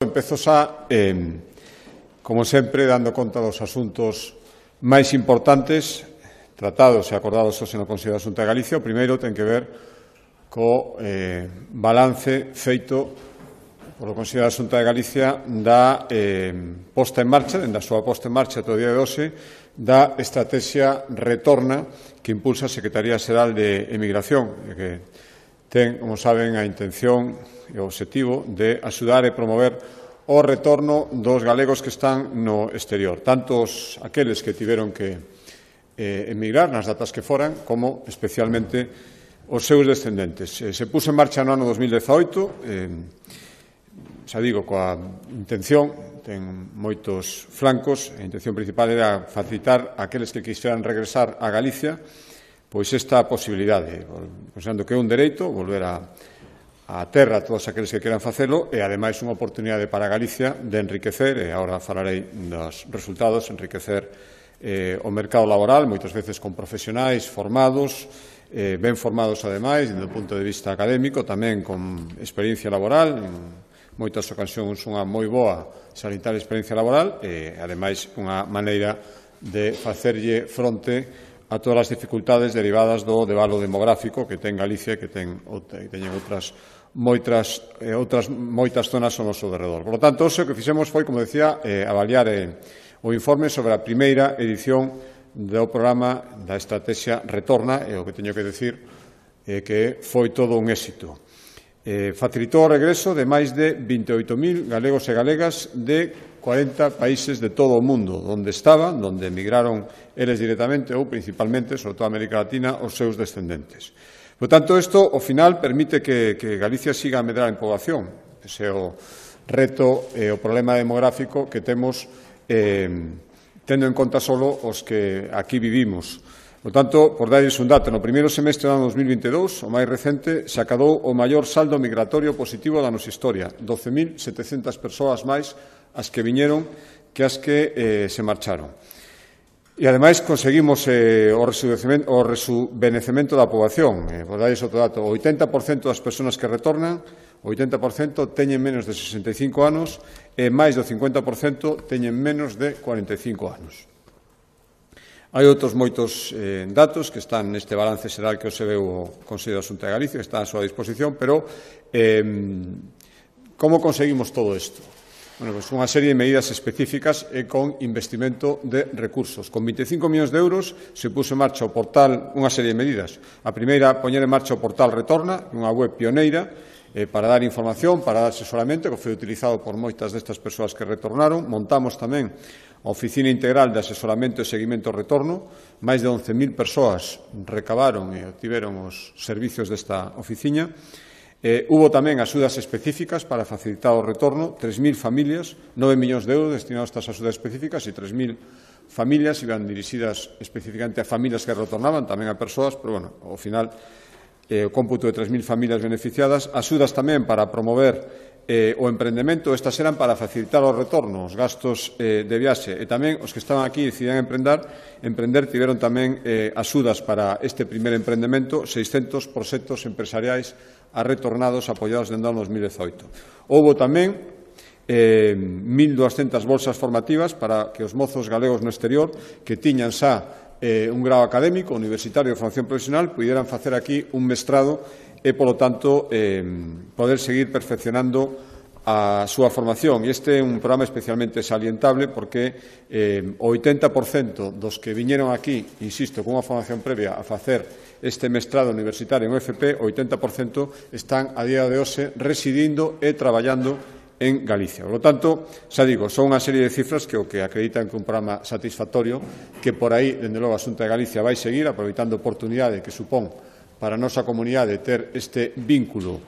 Empezo xa, como sempre, dando conta dos asuntos máis importantes tratados e acordados hoxe no Consello da Xunta de Galicia. O primeiro ten que ver co balance feito polo Consello da Xunta de Galicia da posta en marcha, da súa posta en marcha todo o día de hoxe, da estrategia Retorna que impulsa a Secretaría Xeral de Emigración, que ten, como saben, a intención e o obxectivo de axudar e promover o retorno dos galegos que están no exterior, tanto aqueles que tiveron que emigrar nas datas que foran, como especialmente os seus descendentes. Se puso en marcha no ano 2018, xa digo, coa intención, ten moitos flancos, a intención principal era facilitar a aqueles que quixeran regresar a Galicia pois esta posibilidade, pensando que é un dereito volver a terra a todos aqueles que queran facelo e, ademais, unha oportunidade para Galicia de enriquecer, e agora falarei dos resultados, enriquecer o mercado laboral, moitas veces con profesionais formados, ben formados, ademais, do punto de vista académico, tamén con experiencia laboral, en moitas ocasións unha moi boa sanitaria experiencia laboral e, ademais, unha maneira de facerlle fronte a todas as dificultades derivadas do debalo demográfico que ten Galicia e que teñen moitas zonas ao noso derredor. Por lo tanto, o que fixemos foi, como decía, avaliar o informe sobre a primeira edición do programa da estrategia Retorna, e o que teño que decir é que foi todo un éxito. Facilitou o regreso de máis de 28.000 galegos e galegas de 40 países de todo o mundo, onde estaban, onde emigraron eles directamente ou principalmente, sobre todo a América Latina, os seus descendentes. Por tanto, isto, ao final, permite que Galicia siga a medrar en poboación. Ese é o reto e o problema demográfico que temos tendo en conta só os que aquí vivimos. Por tanto, por darles un dato, no primeiro semestre do ano 2022, o máis recente, se acadou o maior saldo migratorio positivo da nosa historia, 12.700 persoas máis as que viñeron que as que se marcharon. E, ademais, conseguimos o rejuvenecemento da poboación. Por darles outro dato, o 80% das persoas que retornan, o 80% teñen menos de 65 anos e máis do 50% teñen menos de 45 anos. Hai outros moitos datos que están neste balance xeral que hoxe veu o Consello da Xunta de Galicia, que está a súa disposición, pero como conseguimos todo isto? Bueno, pues unha serie de medidas específicas e con investimento de recursos. Con 25 millóns de euros se puso en marcha o portal, unha serie de medidas. A primeira, poñer en marcha o portal Retorna, unha web pioneira, para dar información, para dar asesoramento, que foi utilizado por moitas destas persoas que retornaron. Montamos tamén a Oficina Integral de Asesoramento e Seguimento ao Retorno. Máis de 11.000 persoas recabaron e obtiveron os servicios desta oficina. Hubo tamén axudas específicas para facilitar o retorno, 3.000 familias, 9 millóns de euros destinados a estas axudas específicas e 3.000 familias iban dirixidas especificamente a familias que retornaban, tamén a persoas, pero, bueno, ao final, o cómputo de 3.000 familias beneficiadas, axudas tamén para promover o emprendemento, estas eran para facilitar o retorno, os gastos de viaxe, e tamén os que estaban aquí e decidían emprender tiveron tamén axudas para este primer emprendemento, 600 proxectos empresariais a retornados apoiados dende o ano 2018. Houbo tamén 1.200 bolsas formativas para que os mozos galegos no exterior que tiñan xa un grado académico, universitario de formación profesional, pudieran facer aquí un mestrado e, polo tanto, poder seguir perfeccionando a súa formación. E este é un programa especialmente salientable porque o 80% dos que viñeron aquí, insisto, con unha formación previa a facer este mestrado universitario en UFP, o 80% están a día de hoxe residindo e traballando en Galicia. Por lo tanto, xa digo, son unha serie de cifras que o que acreditan que un programa satisfactorio, que por aí, dende logo, a Xunta de Galicia vai seguir, aproveitando a oportunidade que supón para a nosa comunidade ter este vínculo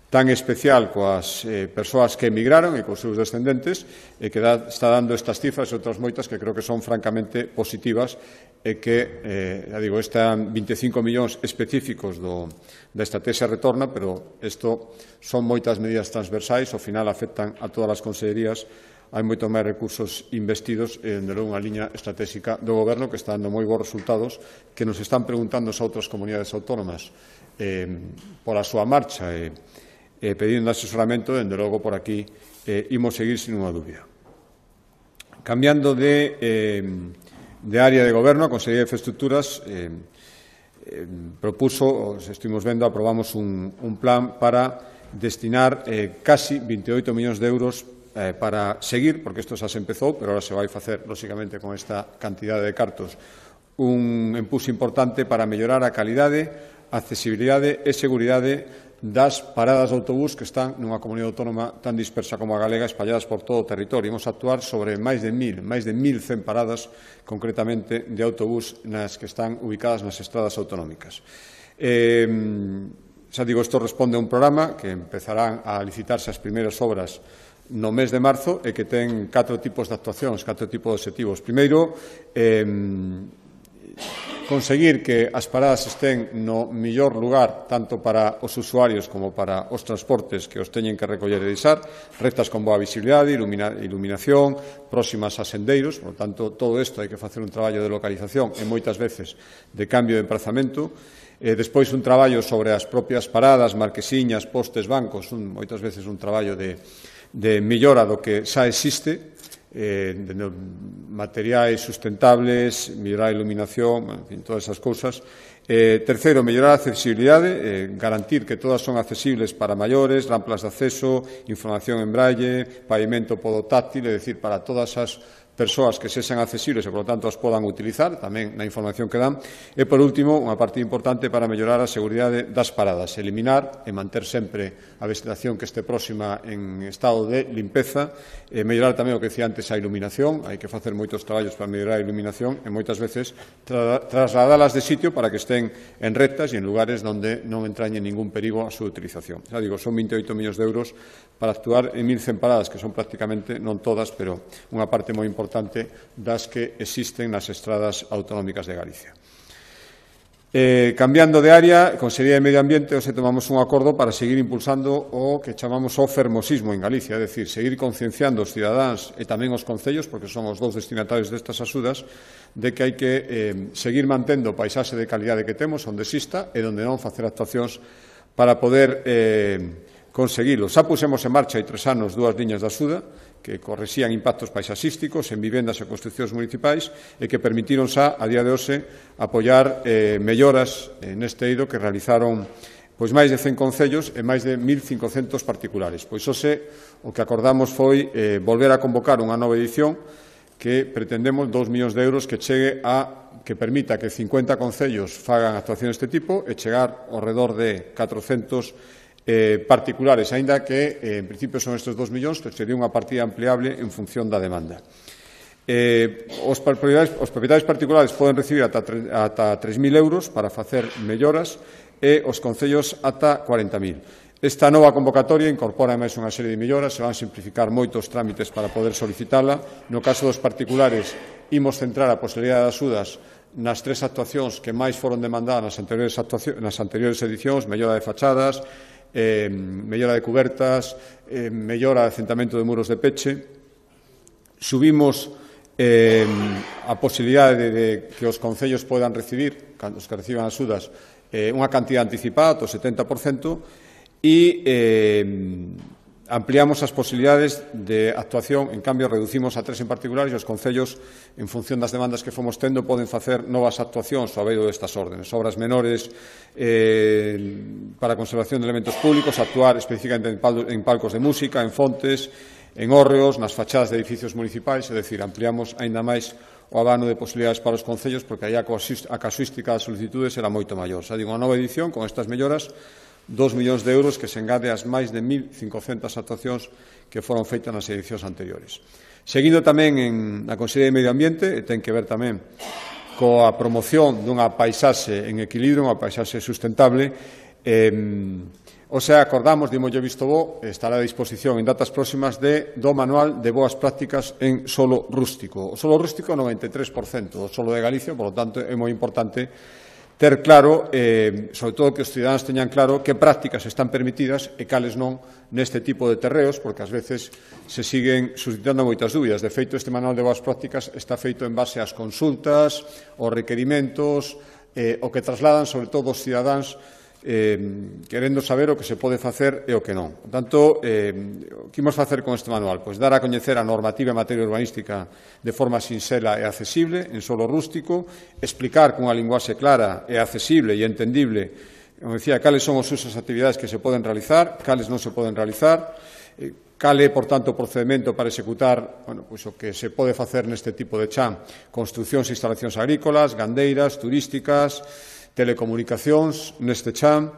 tan especial coas persoas que emigraron e cos seus descendentes, e que está dando estas cifras e outras moitas que creo que son francamente positivas e que, já digo, están 25 millóns específicos da estrategia Retorna, pero isto son moitas medidas transversais, ao final afectan a todas as consellerías, hai moito máis recursos investidos e, dende logo, unha liña estratégica do Goberno que está dando moi bons resultados, que nos están preguntando a outras comunidades autónomas pola súa marcha pedindo asesoramento, dende logo por aquí imos seguir sin unha dúbida. Cambiando de área de goberno, a Consellería de Infraestructuras propuso, estuvimos vendo, aprobamos un plan para destinar casi 28 millóns de euros para seguir, porque isto xa se empezou, pero ahora se vai facer, lóxicamente, con esta cantidade de cartos, un empuxo importante para mellorar a calidade, accesibilidade e seguridade das paradas de autobús que están nunha comunidade autónoma tan dispersa como a galega, espalladas por todo o territorio. Imos actuar sobre máis de 1.100 paradas, concretamente, de autobús nas que están ubicadas nas estradas autonómicas. Xa digo, isto responde a un programa que empezarán a licitarse as primeiras obras no mes de marzo e que ten 4 tipos de actuacións, 4 tipos de obxectivos. Primeiro, conseguir que as paradas estén no mellor lugar tanto para os usuarios como para os transportes que os teñen que recoller e deixar, rectas con boa visibilidade, iluminación, próximas a sendeiros, por tanto, todo isto hai que facer un traballo de localización e moitas veces de cambio de emprazamento. Despois un traballo sobre as propias paradas, marquesiñas, postes, bancos, moitas veces un traballo de mellora do que xa existe, de materiais sustentables, mellorar a iluminación, en fin, todas esas cousas. Terceiro, mellorar a accesibilidade, garantir que todas son accesibles para maiores, rampas de acceso, información en braille, pavimento podotáctil, é dicir, para todas as persoas que sexan accesibles e, por lo tanto, as podan utilizar, tamén na información que dan. E, por último, unha parte importante para mellorar a seguridade das paradas, eliminar e manter sempre a vegetación que este próxima en estado de limpeza, mellorar tamén o que decía antes a iluminación, hai que facer moitos traballos para mellorar a iluminación e moitas veces trasladalas de sitio para que estén en rectas e en lugares onde non entrañe ningún perigo a súa utilización. Xa digo, son 28 millóns de euros para actuar en 1.100 paradas, que son prácticamente, non todas, pero unha parte moi importante das que existen nas estradas autonómicas de Galicia. Cambiando de área, Consellería de Medio Ambiente, hoxe tomamos un acordo para seguir impulsando o que chamamos o fermosismo en Galicia, é dicir, seguir concienciando os cidadáns e tamén os concellos, porque son os dous destinatarios destas axudas, de que hai que seguir mantendo o paisaxe de calidade que temos, onde exista, e onde non facer actuacións para poder conseguilo. Xa pusemos en marcha hai 3 anos 2 liñas de axuda que correxían impactos paisaxísticos en vivendas e construcións municipais e que permitiron xa, a día de hoxe, apoiar melloras neste eido que realizaron máis de 100 concellos e máis de 1.500 particulares. Pois hoxe o que acordamos foi volver a convocar unha nova edición que pretendemos 2 millóns de euros que chegue que permita que 50 concellos fagan actuacións deste tipo e chegar ao redor de 400 particulares, aínda que en principio son estes 2 millóns, que sería unha partida ampliable en función da demanda. Os propietarios particulares poden recibir ata 3.000 euros para facer melloras e os concellos ata 40.000. Esta nova convocatoria incorpora máis unha serie de melloras, se van simplificar moitos trámites para poder solicitala. No caso dos particulares, imos centrar a posibilidade de axudas nas 3 actuacións que máis foron demandadas nas anteriores edicións: mellora de fachadas, mellora de cubertas, mellora de acentamento de muros de peche. Subimos a posibilidade de que os concellos podan recibir, os que reciban axudas, unha cantidad anticipada, o 70%, e ampliamos as posibilidades de actuación. En cambio, reducimos a 3 en particular e os concellos, en función das demandas que fomos tendo, poden facer novas actuacións ao beiro destas órdenes. Obras menores para a conservación de elementos públicos, actuar especificamente en palcos de música, en fontes, en hórreos, nas fachadas de edificios municipais, é dicir, ampliamos aínda máis o abano de posibilidades para os concellos, porque aí a casuística das solicitudes era moito maior. Xa digo, unha nova edición con estas melloras, 2 millóns de euros que se engade ás máis de 1.500 actuacións que foron feitas nas edicións anteriores. Seguindo tamén na Consellería de Medio Ambiente, e ten que ver tamén coa promoción dunha paisaxe en equilibrio, unha paisaxe sustentable, acordamos, dimoslle visto bo, estará a disposición en datas próximas do Manual de Boas Prácticas en Solo Rústico. O solo rústico, 93%, o solo de Galicia, por lo tanto, é moi importante ter claro, sobre todo que os cidadáns teñan claro que prácticas están permitidas e cales non neste tipo de terreos, porque ás veces se siguen suscitando moitas dúbidas. De feito, este Manual de Boas Prácticas está feito en base ás consultas, aos requerimentos, o que trasladan, sobre todo, os cidadáns querendo saber o que se pode facer e o que non. Por tanto, o que imos facer con este manual? Pois dar a coñecer a normativa en materia urbanística de forma sinxela e accesible, en solo rústico, explicar con unha linguaxe clara e accesible e entendible, como decía, cales son os usos e actividades que se poden realizar, cales non se poden realizar, cal é, por tanto, o procedimento para executar pois o que se pode facer neste tipo de chan, construcións e instalacións agrícolas, gandeiras, turísticas, telecomunicacións neste chan,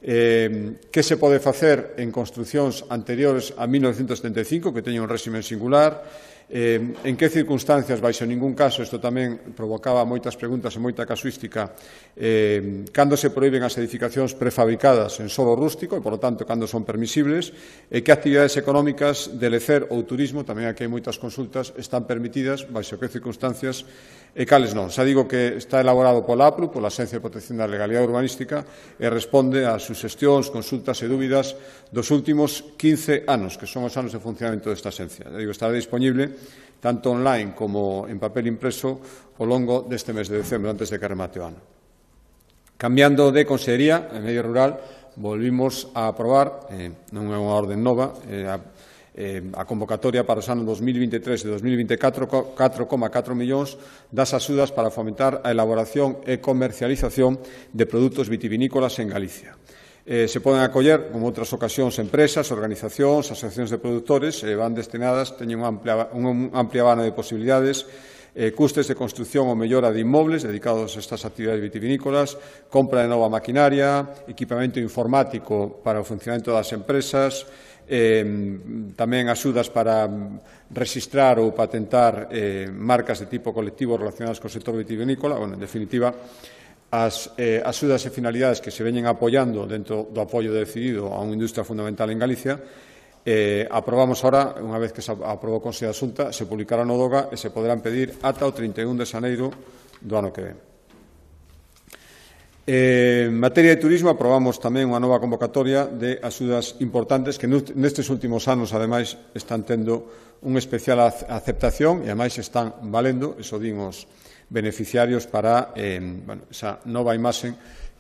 que se pode facer en construcións anteriores a 1975, que teñen un réxime singular, en que circunstancias, baixo ningún caso, isto tamén provocaba moitas preguntas e moita casuística, cando se proíben as edificacións prefabricadas en solo rústico e, por lo tanto, cando son permisibles, e que actividades económicas de lecer ou turismo, tamén aquí hai moitas consultas, están permitidas, baixo que circunstancias e cales non. Xa digo que está elaborado pola APRU, pola Axencia de Protección da Legalidade Urbanística, e responde ás suxestións, consultas e dúbidas dos últimos 15 anos, que son os anos de funcionamento desta axencia. Xa digo, estará disponible tanto online como en papel impreso ao longo deste mes de decembro, antes de que remate o ano. Cambiando de Consellería, en Medio Rural, volvimos a aprobar, non é unha orden nova, a convocatoria para os anos 2023 e 2024, 4,4 millóns das axudas para fomentar a elaboración e comercialización de produtos vitivinícolas en Galicia. Se poden acoller, como outras ocasións, empresas, organizacións, asociacións de produtores, van destinadas, teñen un amplia abano de posibilidades, custes de construción ou mellora de inmobles dedicados a estas actividades vitivinícolas, compra de nova maquinaria, equipamento informático para o funcionamento das empresas, tamén axudas para rexistrar ou patentar marcas de tipo colectivo relacionadas co sector vitivinícola. En definitiva, as axudas e finalidades que se veñen apoiando dentro do apoio decidido a unha industria fundamental en Galicia. Aprobamos ahora, unha vez que se aprobou o Consello de Xunta, se publicará no DOGA e se poderán pedir ata o 31 de xaneiro do ano que ven. En materia de turismo, aprobamos tamén unha nova convocatoria de axudas importantes que nestes últimos anos, ademais, están tendo unha especial aceptación e, ademais, están valendo, eso din os beneficiarios, para esa nova imaxe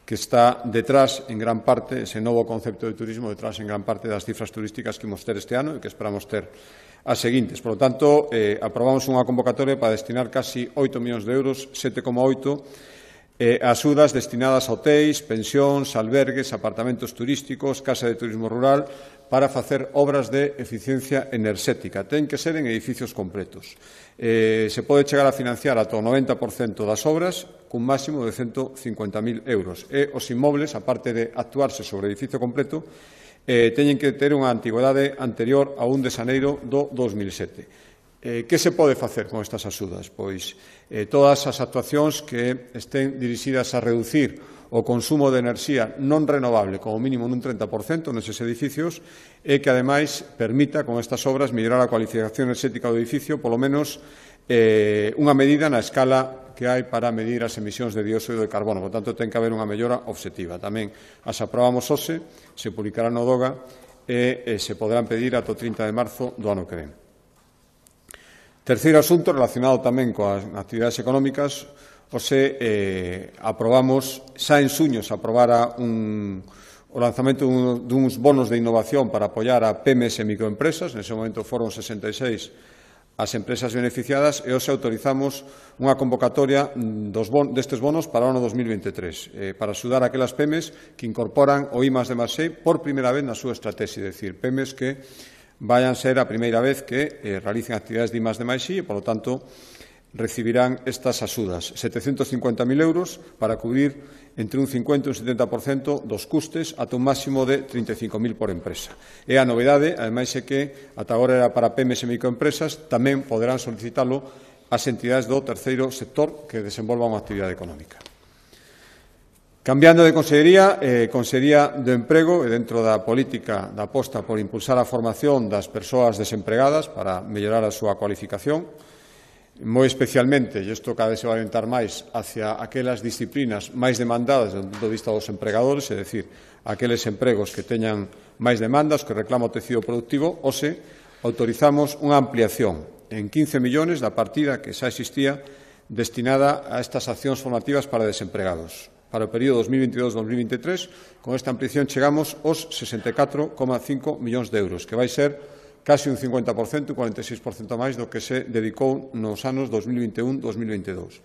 que está detrás, en gran parte, ese novo concepto de turismo, detrás, en gran parte, das cifras turísticas que imos ter este ano e que esperamos ter as seguintes. Por lo tanto, aprobamos unha convocatoria para destinar casi 8 millóns de euros, 7,8, axudas destinadas a hotéis, pensións, albergues, apartamentos turísticos, casa de turismo rural, para facer obras de eficiencia enerxética. Ten que ser en edificios completos. Se pode chegar a financiar ata o 90% das obras cun máximo de 150.000 euros. E os inmobles, aparte de actuarse sobre edificio completo, teñen que ter unha antigüedade anterior a 1 de xaneiro do 2007. Que se pode facer con estas axudas? Pois todas as actuacións que estén dirixidas a reducir o consumo de enerxía non renovable como mínimo nun 30% neses edificios e que, ademais, permita con estas obras mellorar a cualificación enerxética do edificio, polo menos unha medida na escala que hai para medir as emisións de dióxido de carbono. Por tanto, ten que haber unha mellora obxectiva. Tamén as aprobamos hoxe, se publicará no DOGA e se poderán pedir ata o 30 de marzo do ano que ven. Terceiro asunto, relacionado tamén coas actividades económicas, aprobamos, xa en suño se aprobara o lanzamento duns bonos de innovación para apoiar a PMEs e microempresas. Nese momento foron 66 as empresas beneficiadas e hoxe autorizamos unha convocatoria destes bonos para o ano 2023 para axudar a aquelas PMEs que incorporan o I+D+E por primeira vez na súa estratexia, é dicir, PMEs que vayan ser a primeira vez que realicen actividades de I+D+I e, por lo tanto, recibirán estas axudas, 750.000 euros para cubrir entre un 50 e un 70% dos custes ata un máximo de 35.000 por empresa. E a novedade, ademais, é que ata agora era para PMEs e microempresas, tamén poderán solicitalo as entidades do terceiro sector que desenvolvan unha actividade económica. Cambiando de consellería, Consellería do Emprego, e dentro da política da aposta por impulsar a formación das persoas desempregadas para mellorar a súa cualificación, moi especialmente, e isto cada vez se vai orientar máis hacia aquelas disciplinas máis demandadas do punto de vista dos empregadores, é dicir, aqueles empregos que teñan máis demandas, que reclama o tecido productivo, hoxe autorizamos unha ampliación en 15 millóns da partida que xa existía destinada a estas accións formativas para desempregados. Para o período 2022-2023, con esta ampliación chegamos aos 64,5 millóns de euros, que vai ser casi un 50%, un 46% máis do que se dedicou nos anos 2021-2022.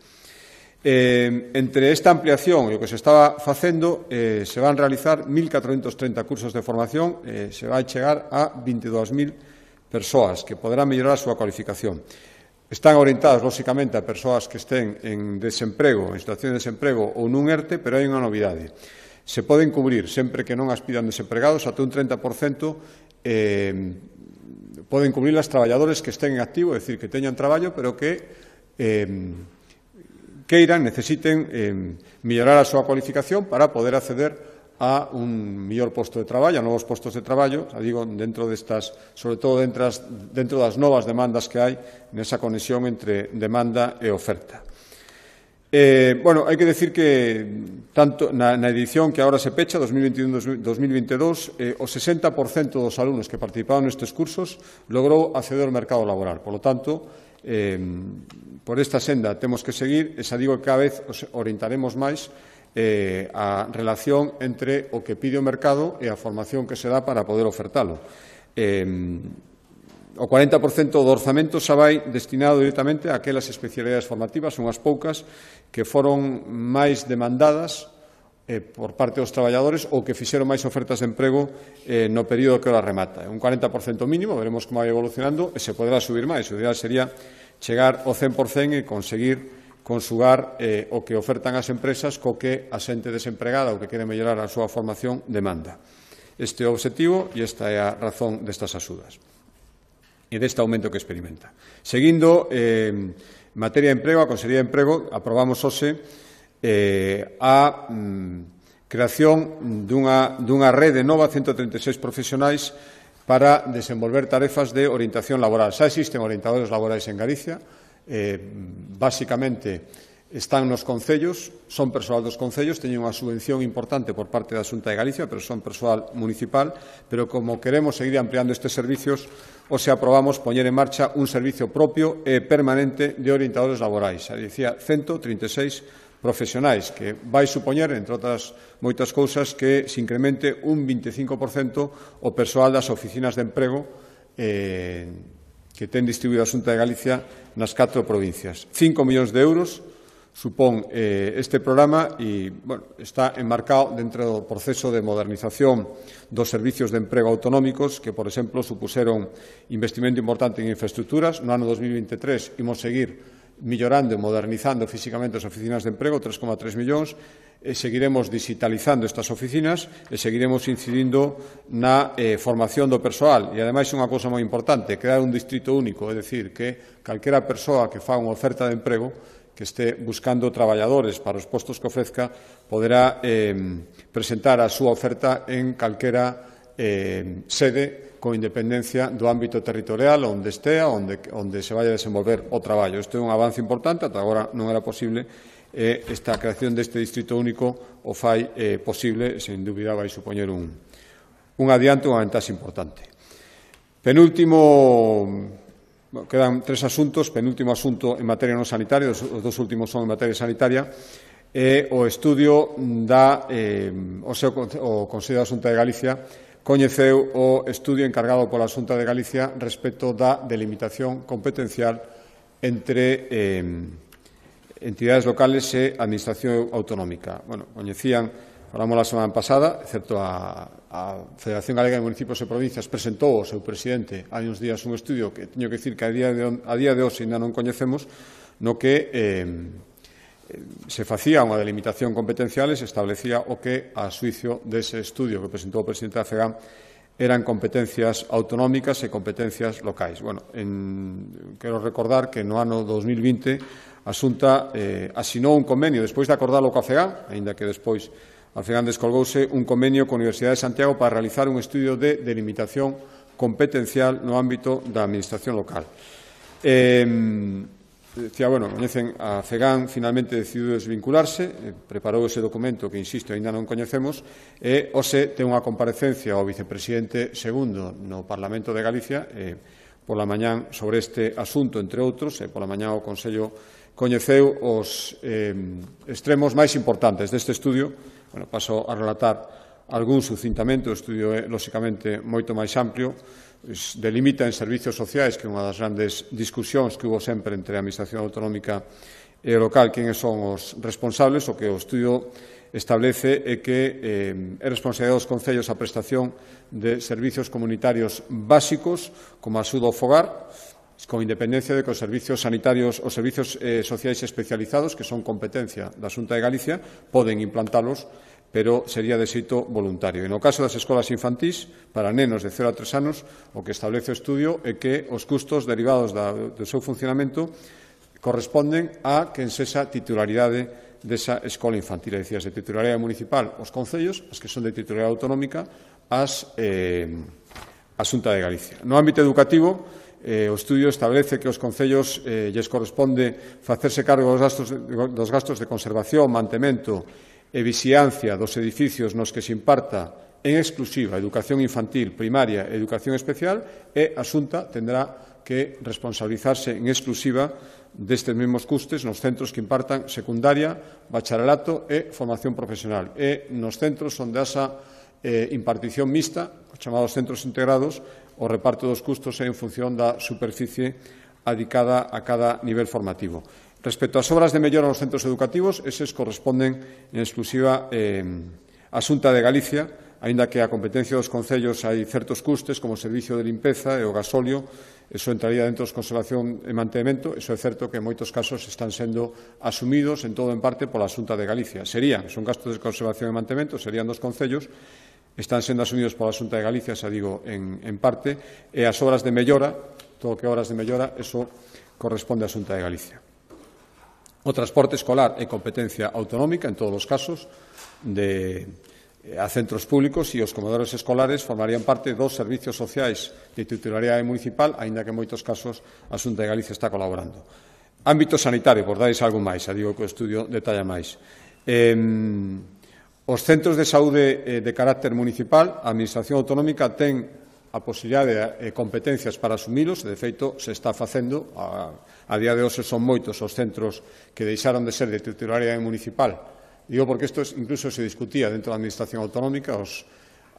Entre esta ampliación e o que se estaba facendo, se van realizar 1.430 cursos de formación, se vai chegar a 22.000 persoas que poderán mellorar a súa cualificación. Están orientadas, lóxicamente, a persoas que estén en desemprego, en situación de desemprego ou nun ERTE, pero hai unha novidade. Se poden cubrir, sempre que non as pidan desempregados, ata un 30%, poden cubrir as traballadores que estén en activo, é dicir, que teñan traballo, pero que queiran, necesiten mellorar a súa cualificación para poder acceder a un mellor posto de traballo, a novos postos de traballo, digo, dentro destas, sobre todo dentro das novas demandas que hai nesa conexión entre demanda e oferta. Hai que decir que tanto na edición que agora se pecha, 2021-2022, o 60% dos alumnos que participaron nestes cursos logrou acceder ao mercado laboral. Por lo tanto, por esta senda temos que seguir, e xa digo que cada vez os orientaremos máis a relación entre o que pide o mercado e a formación que se dá para poder ofertalo. O 40% do orzamento xa vai destinado directamente a aquelas especialidades formativas, unhas poucas, que foron máis demandadas por parte dos traballadores ou que fixeron máis ofertas de emprego no período que ora remata. Un 40% mínimo, veremos como vai evolucionando, e se poderá subir máis. O ideal sería chegar ao 100% e conseguir consugar o que ofertan as empresas co que a xente desempregada ou que quere mellorar a súa formación demanda. Este é o obxectivo e esta é a razón destas axudas e deste aumento que experimenta. Seguindo, en materia de emprego, a Consellería de Emprego aprobamos hoxe a creación dunha rede nova, 136 profesionais, para desenvolver tarefas de orientación laboral. Xa existen orientadores laborais en Galicia, basicamente están nos concellos, son persoal dos concellos, teñen unha subvención importante por parte da Xunta de Galicia, pero son persoal municipal, pero como queremos seguir ampliando estes servicios, hoxe aprobamos poñer en marcha un servicio propio e permanente de orientadores laborais. Xa dicía, 136 profesionais, que vai supoñer, entre outras moitas cousas, que se incremente un 25% o persoal das oficinas de emprego que ten distribuído a Xunta de Galicia nas 4 provincias. 5 millóns de euros supón este programa e está enmarcado dentro do proceso de modernización dos servicios de emprego autonómicos que, por exemplo, supuseron investimento importante en infraestructuras. No ano 2023 imos seguir millorando e modernizando físicamente as oficinas de emprego, 3,3 millóns, e seguiremos digitalizando estas oficinas e seguiremos incidindo na formación do persoal. E, ademais, unha cousa moi importante, crear un distrito único, é dicir, que calquera persoa que faga unha oferta de emprego, que este buscando traballadores para os postos que ofrezca, poderá presentar a súa oferta en calquera sede con independencia do ámbito territorial onde estea, onde se vai a desenvolver o traballo. Isto é un avance importante, ata agora non era posible, e esta creación deste distrito único o fai posible, sen dúbida vai supoñer un adianto, unha ventaxe importante. Penúltimo, quedan 3 asuntos, penúltimo asunto en materia non sanitaria, os 2 últimos son en materia sanitaria, e o estudio o Consello da Xunta de Galicia coñeceu o estudio encargado pola Xunta de Galicia respecto da delimitación competencial entre entidades locales e administración autonómica. Coñecían, falamos a semana pasada, excepto a Federación Galega de Municipios e Provincias presentou ao seu presidente hai uns días un estudio que teño que dicir que a día de hoxe ainda non coñecemos, no que se facía unha delimitación competencial e se establecía o que, a xuicio dese estudio que presentou o presidente da FEGAM, eran competencias autonómicas e competencias locais. Quero recordar que no ano 2020 a Xunta asinou un convenio, despois de acordalo coa FEGAM, aínda que despois a FEGAM descolgouse, un convenio coa Universidade de Santiago para realizar un estudio de delimitación competencial no ámbito da administración local. Coñecen, a FEGAM finalmente decidiu desvincularse, preparou ese documento que, insisto, aínda non coñecemos, e hoxe ten unha comparecencia ao vicepresidente segundo no Parlamento de Galicia pola mañán sobre este asunto, entre outros, e pola mañán o Consello coñeceu os extremos máis importantes deste estudio. Bueno, paso a relatar algún sucintamente. O estudio é, lóxicamente, moito máis amplio. Delimita en servicios sociais, que é unha das grandes discusións que hubo sempre entre a Administración autonómica e o local, quen son os responsables. O que o estudio establece é que é responsabilidade dos concellos a prestación de servicios comunitarios básicos como a axuda ao fogar, con independencia de que os servicios sanitarios ou servicios sociais especializados, que son competencia da Xunta de Galicia, poden implantalos, pero sería de xeito voluntario. E no caso das escolas infantís, para nenos de 0 a 3 anos, o que establece o estudio é que os custos derivados do seu funcionamento corresponden a quen sexa titularidade desa escola infantil, é dicir, de titularidade municipal os concellos, as que son de titularidade autonómica, a Xunta de Galicia. No ámbito educativo, o estudio establece que os concellos lles corresponde facerse cargo dos gastos de conservación, mantemento e vixiancia dos edificios nos que se imparta en exclusiva educación infantil, primaria e educación especial, e a Xunta tendrá que responsabilizarse en exclusiva destes mesmos custes nos centros que impartan secundaria, bacharelato e formación profesional. E nos centros onde esa impartición mixta, os chamados centros integrados, o reparto dos custos é en función da superficie adicada a cada nivel formativo. Respecto ás obras de mellora nos centros educativos, eses corresponden en exclusiva á Xunta de Galicia, aínda que a competencia dos concellos hai certos custes, como o servicio de limpeza e o gasóleo, eso entraría dentro de conservación e mantemento. Eso é certo que en moitos casos están sendo asumidos en todo en parte pola Xunta de Galicia. Son gastos de conservación e mantemento, serían dos concellos, están sendo asumidos pola Xunta de Galicia, xa digo, en parte, e as obras de mellora, todo o que é obras de mellora, eso corresponde á Xunta de Galicia. O transporte escolar é competencia autonómica en todos os casos a centros públicos, e os comedores escolares formarían parte dos servicios sociais de titularidade municipal, aínda que en moitos casos a Xunta de Galicia está colaborando. Ámbito sanitario, por darles algo máis, xa digo que o estudio detalla máis. Os centros de saúde de carácter municipal, a Administración autonómica ten a posibilidade e competencias para asumilos, e de feito se está facendo. A día de hoxe son moitos os centros que deixaron de ser de titularidade municipal. Digo porque isto incluso se discutía dentro da Administración autonómica. A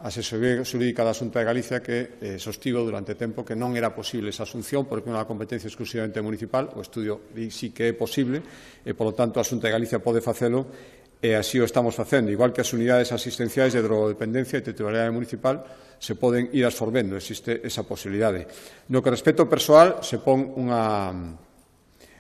asesoría xurídica da Xunta de Galicia que sostivo durante tempo que non era posible esa asunción porque unha competencia exclusivamente municipal. O estudio sí que é posible e, polo tanto, a Xunta de Galicia pode facelo, e así o estamos facendo. Igual que as unidades asistenciais de drogodependencia e titularidade municipal se poden ir absorbendo, existe esa posibilidade. No que respecta ao persoal, se pon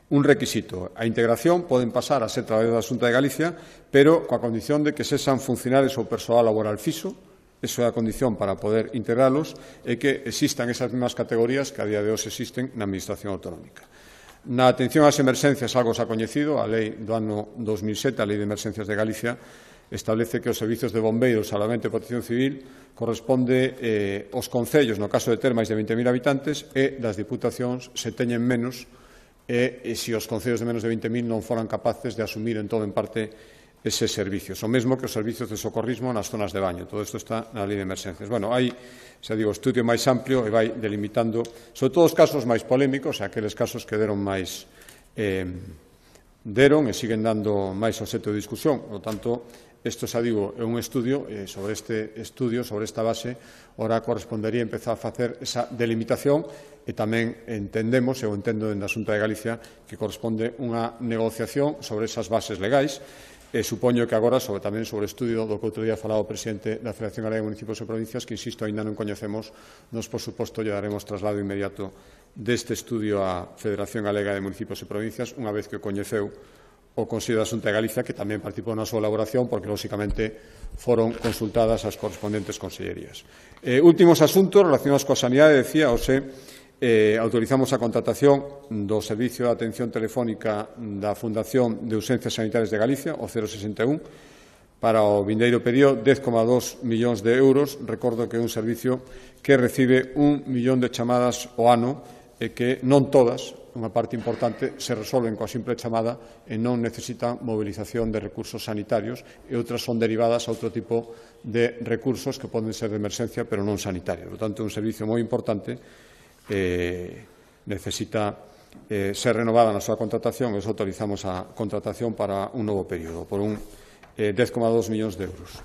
un requisito. A integración poden pasar a ser traballadores da Xunta de Galicia, pero coa condición de que sexan funcionarios ou persoal laboral fixo. Eso é a condición para poder integralos, e que existan esas mesmas categorías que a día de hoxe existen na Administración autonómica. Na atención ás emerxencias, algo xa coñecido, a lei do ano 2007, a Lei de Emerxencias de Galicia, establece que os servizos de bombeiros, salvamento e protección civil corresponde aos concellos, no caso de ter máis de 20.000 habitantes, e das diputacións se teñen menos, e se os concellos de menos de 20.000 non foran capaces de asumir en todo en parte eses servicios. O mesmo que os servicios de socorrismo nas zonas de baño. Todo isto está na Lei de Emerxencias. Bueno, hai, xa digo, estudio máis amplio e vai delimitando, sobre todo os casos máis polémicos, aqueles casos que deron e siguen dando máis obxecto de discusión. Por lo tanto, isto, xa digo, é un estudio, sobre este estudio, sobre esta base, ora correspondería empezar a facer esa delimitación, e tamén entendemos, eu entendo dende a Xunta de Galicia, que corresponde unha negociación sobre esas bases legais. Supoño que agora tamén sobre o estudio do que outro día falaba o presidente da Federación Galega de Municipios e Provincias, que, insisto, aínda non coñecemos, nos, por suposto, lle daremos traslado inmediato deste estudio á Federación Galega de Municipios e Provincias, unha vez que o coñeceu o Consello da Xunta de Galicia, que tamén participou na súa elaboración, porque, lóxicamente, foron consultadas as correspondentes consellerías. Últimos asuntos relacionados coa sanidade, decía, autorizamos a contratación do Servicio de Atención Telefónica da Fundación de Urxencias Sanitarias de Galicia, o 061, para o vindeiro período, 10,2 millóns de euros. Recordo que é un servicio que recibe 1 millón de chamadas ao ano, e que non todas, unha parte importante, se resolven coa simple chamada e non necesitan movilización de recursos sanitarios, e outras son derivadas a outro tipo de recursos que poden ser de emerxencia, pero non sanitarios. Por tanto, é un servicio moi importante necesita ser renovada na súa contratación e autorizamos a contratación para un novo período por un 10,2 millóns de euros.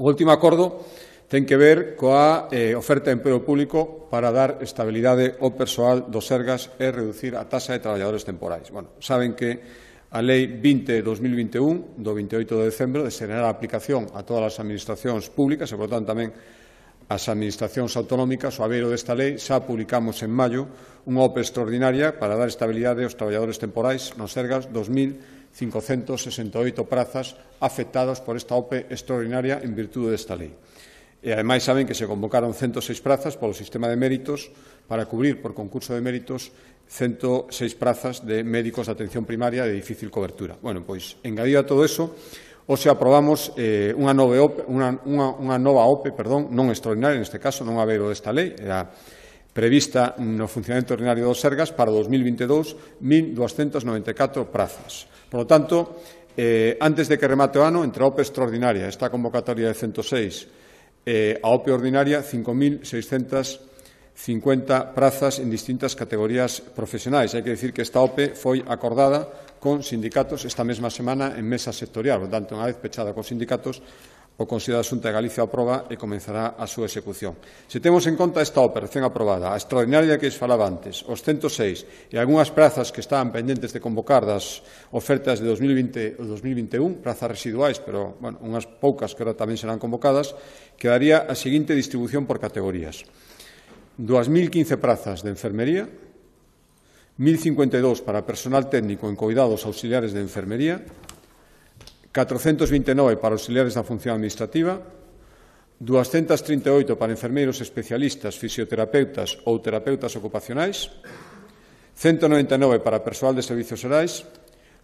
O último acordo ten que ver coa oferta de emprego público para dar estabilidade ao persoal do Sergas e reducir a taxa de traballadores temporais. Bueno, saben que a Lei 20/2021, do 28 de decembro, deseará a aplicación a todas as administracións públicas e, por tanto, tamén as administracións autonómicas. O abeiro desta lei xa publicamos en maio unha OPE extraordinaria para dar estabilidade aos traballadores temporais no Sergas, 2.568 prazas afectados por esta OPE extraordinaria en virtude desta lei. E, ademais, saben que se convocaron 106 prazas polo sistema de méritos para cubrir, por concurso de méritos, 106 prazas de médicos de atención primaria de difícil cobertura. Bueno, pois, engadido a todo eso, hoxe aprobamos unha nova OPE, non extraordinaria, neste caso, non abeiro desta lei, era prevista no funcionamento ordinario do Sergas para 2022, 1.294 prazas. Por lo tanto, antes de que remate o ano, entre a OPE extraordinaria, esta convocatoria de 106, a OPE ordinaria, 5.650 prazas en distintas categorías profesionais. Hai que dicir que esta OPE foi acordada con sindicatos esta mesma semana en mesa sectorial. Por tanto, unha vez pechada con sindicatos, o Consello da Xunta de Galicia aproba e comenzará a súa execución. Se temos en conta esta OPE recén aprobada, a extraordinaria que falaba antes, os 106 e algunhas prazas que estaban pendentes de convocar das ofertas de 2020 e 2021, prazas residuais, pero unhas poucas que ahora tamén serán convocadas, quedaría a seguinte distribución por categorías. 2.015 prazas de enfermería, 1.052 para personal técnico en cuidados auxiliares de enfermería, 429 para auxiliares da función administrativa, 238 para enfermeiros especialistas, fisioterapeutas ou terapeutas ocupacionais, 199 para persoal de servicios xerais,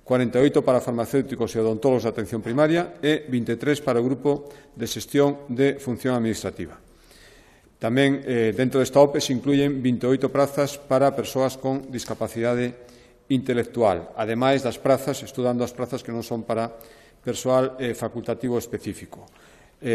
48 para farmacéuticos e odontólogos de atención primaria e 23 para o grupo de xestión de función administrativa. Tamén, dentro desta OPE, se incluyen 28 prazas para persoas con discapacidade intelectual, ademais das prazas, estudando as prazas que non son para persoal facultativo específico,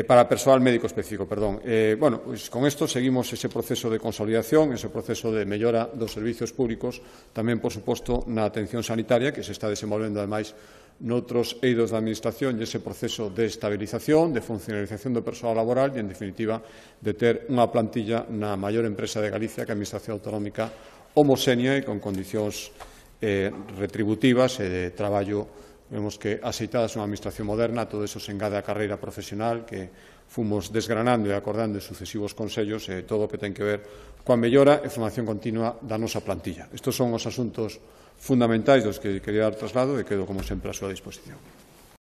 para persoal médico específico, perdón. Pois con isto seguimos ese proceso de consolidación, ese proceso de mellora dos servizos públicos, tamén, por suposto, na atención sanitaria, que se está desenvolvendo, ademais, noutros eidos da Administración, e ese proceso de estabilización, de funcionalización do persoal laboral e, en definitiva, de ter unha plantilla na maior empresa de Galicia, que a Administración Autonómica, homoxénea e con condicións retributivas e de traballo. Vemos que, aceitadas unha administración moderna, todo eso se engade á carreira profesional que fomos desgranando e acordando en sucesivos consellos e todo o que ten que ver coa mellora e formación continua da nosa plantilla. Estes son os asuntos fundamentais dos que quería dar traslado e quedo, como sempre, a súa disposición.